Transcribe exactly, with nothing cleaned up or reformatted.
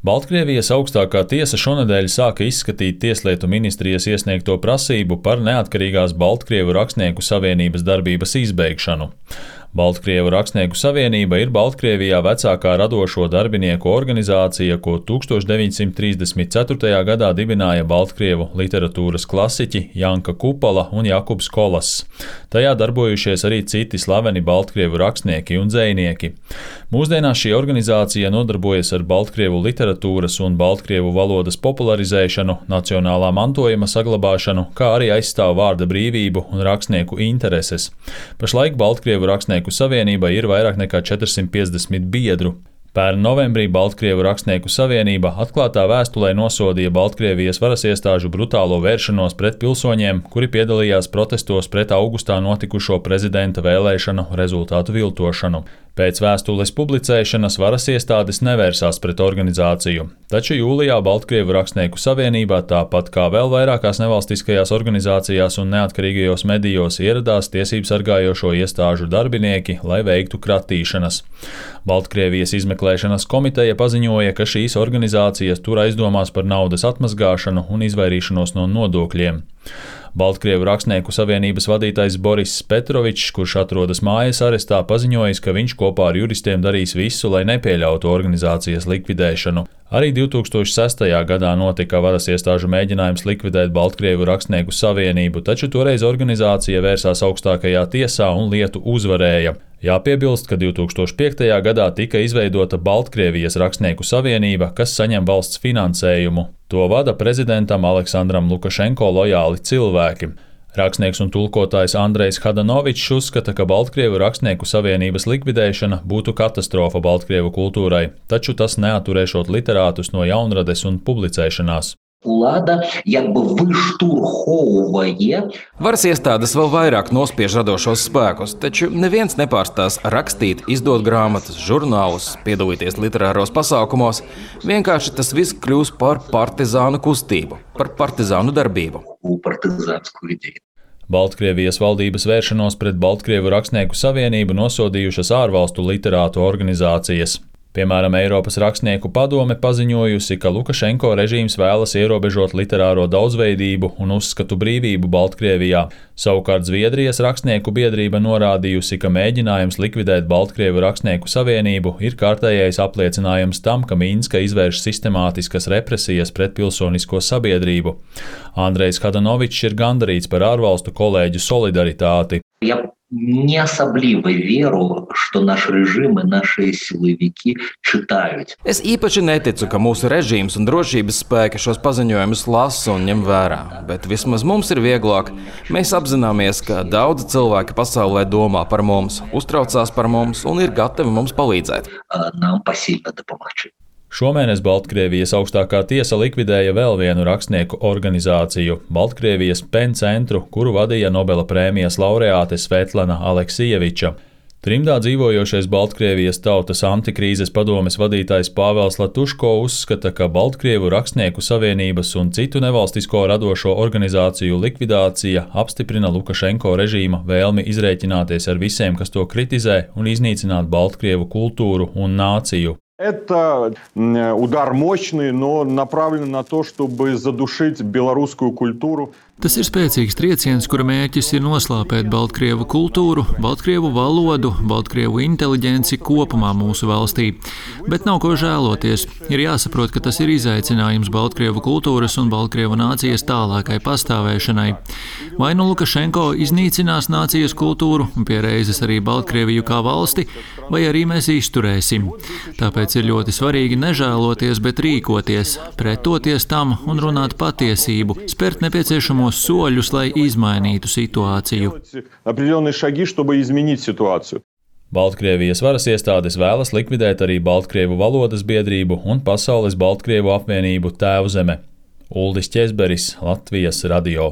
Baltkrievijas augstākā tiesa šonedēļ sāka izskatīt Tieslietu ministrijas iesniegto prasību par neatkarīgās Baltkrievu rakstnieku savienības darbības izbeigšanu. Baltkrievu rakstnieku savienība ir Baltkrievijā vecākā radošo darbinieku organizācija, ko tūkstoš deviņsimt trīsdesmit ceturtajā gadā dibināja Baltkrievu literatūras klasiķi Janka Kupala un Jakubs Kolas. Tajā darbojušies arī citi slaveni Baltkrievu rakstnieki un dzejnieki. Mūsdienās šī organizācija nodarbojas ar Baltkrievu literatūras un Baltkrievu valodas popularizēšanu, nacionālā mantojuma saglabāšanu, kā arī aizstāv vārda brīvību un rakstnieku intereses. Pašlaik Baltkrievu rakstnieku savienība ir vairāk nekā četrsimt piecdesmit biedru. Pērn novembrī Baltkrievu rakstnieku savienība atklātā vēstulē nosodīja Baltkrievijas varas iestāžu brutālo vēršanos pret pilsoņiem, kuri piedalījās protestos pret augustā notikušo prezidenta vēlēšanu rezultātu viltošanu. Pēc vēstules publicēšanas varas iestādes nevērsās pret organizāciju, taču jūlijā Baltkrievu rakstnieku savienībā, tāpat kā vēl vairākās nevalstiskajās organizācijās un neatkarīgajos medijos, ieradās tiesību sargājošo iestāžu darbinieki, lai veiktu kratīšanas. Baltkrievijas izmeklēšanas komiteja paziņoja, ka šīs organizācijas tur aizdomās par naudas atmazgāšanu un izvairīšanos no nodokļiem. Baltkrievu rakstnieku savienības vadītājs Boris Petrovičs, kurš atrodas mājas arestā, paziņojis, ka viņš kopā ar juristiem darīs visu, lai nepieļautu organizācijas likvidēšanu. Arī divtūkstoš sestajā gadā notika varas iestāžu mēģinājums likvidēt Baltkrievu rakstnieku savienību, taču toreiz organizācija vērsās augstākajā tiesā un lietu uzvarēja. Jāpiebilst, ka divtūkstoš piektajā gadā tika izveidota Baltkrievijas rakstnieku savienība, kas saņem valsts finansējumu. To vada prezidentam Aleksandram Lukašenko lojāli cilvēki. Rakstnieks un tulkotājs Andrejs Hadanovičs uzskata, ka Baltkrievu rakstnieku savienības likvidēšana būtu katastrofa Baltkrievu kultūrai, taču tas neaturēšot literātus no jaunrades un publicēšanās. Влада якби виштурховує. Varas iestādes vēl vairāk nospiež radošos spēkus, taču neviens nepārstās rakstīt, izdot grāmatas, žurnālus, piedalīties literāros pasākumos. Vienkārši tas viss kļūs par partizānu kustību, par partizānu darbību. Baltkrievijas valdības vēršanos pret Baltkrievu rakstnieku savienību nosodījušas ārvalstu literātu organizācijas. Piemēram, Eiropas rakstnieku padome paziņojusi, ka Lukašenko režīms vēlas ierobežot literāro daudzveidību un uzskatu brīvību Baltkrievijā. Savukārt Zviedrijas rakstnieku biedrība norādījusi, ka mēģinājums likvidēt Baltkrievu rakstnieku savienību ir kārtējais apliecinājums tam, ka Minska izvērš sistemātiskas represijas pret pilsonisko sabiedrību. Andrejs Hadanovičs ir gandarīts par ārvalstu kolēģu solidaritāti. Я не особливо верю, что наш режим и наши силовики читают. Es īpaši neticu, ka mūsu režīms un drošības spēki šos paziņojumus lasa un ņem vērā, bet vismaz mums ir vieglāk. Mēs apzināmies, ka daudzi cilvēki pasaulē domā par mums, uztraucās par mums un ir gatavi mums palīdzēt. Нам посильно допомагать. Šomēnes Baltkrievijas augstākā tiesa likvidēja vēl vienu rakstnieku organizāciju – Baltkrievijas PEN centru, kuru vadīja Nobela prēmijas laureāte Svetlana Aleksijeviča. Trimdā dzīvojošais Baltkrievijas tautas antikrīzes padomes vadītājs Pāvels Latuško uzskata, ka Baltkrievu rakstnieku savienības un citu nevalstisko radošo organizāciju likvidācija apstiprina Lukašenko režīma vēlmi izrēķināties ar visiem, kas to kritizē, un iznīcināt Baltkrievu kultūru un nāciju. Это удар мощный, но направлен на то, чтобы задушить белорусскую культуру. Tas ir spēcīgs trieciens, kura mērķis ir noslāpēt Baltkrievu kultūru, Baltkrievu valodu, Baltkrievu inteliģenci kopumā mūsu valstī. Bet nav ko žēloties. Ir jāsaprot, ka tas ir izaicinājums Baltkrievu kultūras un Baltkrievu nācijas tālākai pastāvēšanai. Vai nu Lukašenko iznīcinās nācijas kultūru un pie reizes arī Baltkrieviju kā valsti, vai arī mēs izturēsim. Tāpēc ir ļoti svarīgi nežēloties, bet rīkoties, pretoties tam un runāt patiesību, spērt nepieciešamo soļus, lai izmainītu situāciju. Baltkrievijas varas iestādes vēlas likvidēt arī Baltkrievu valodas biedrību un Pasaules Baltkrievu apvienību Tēvzeme. Uldis Ķezberis, Latvijas radio.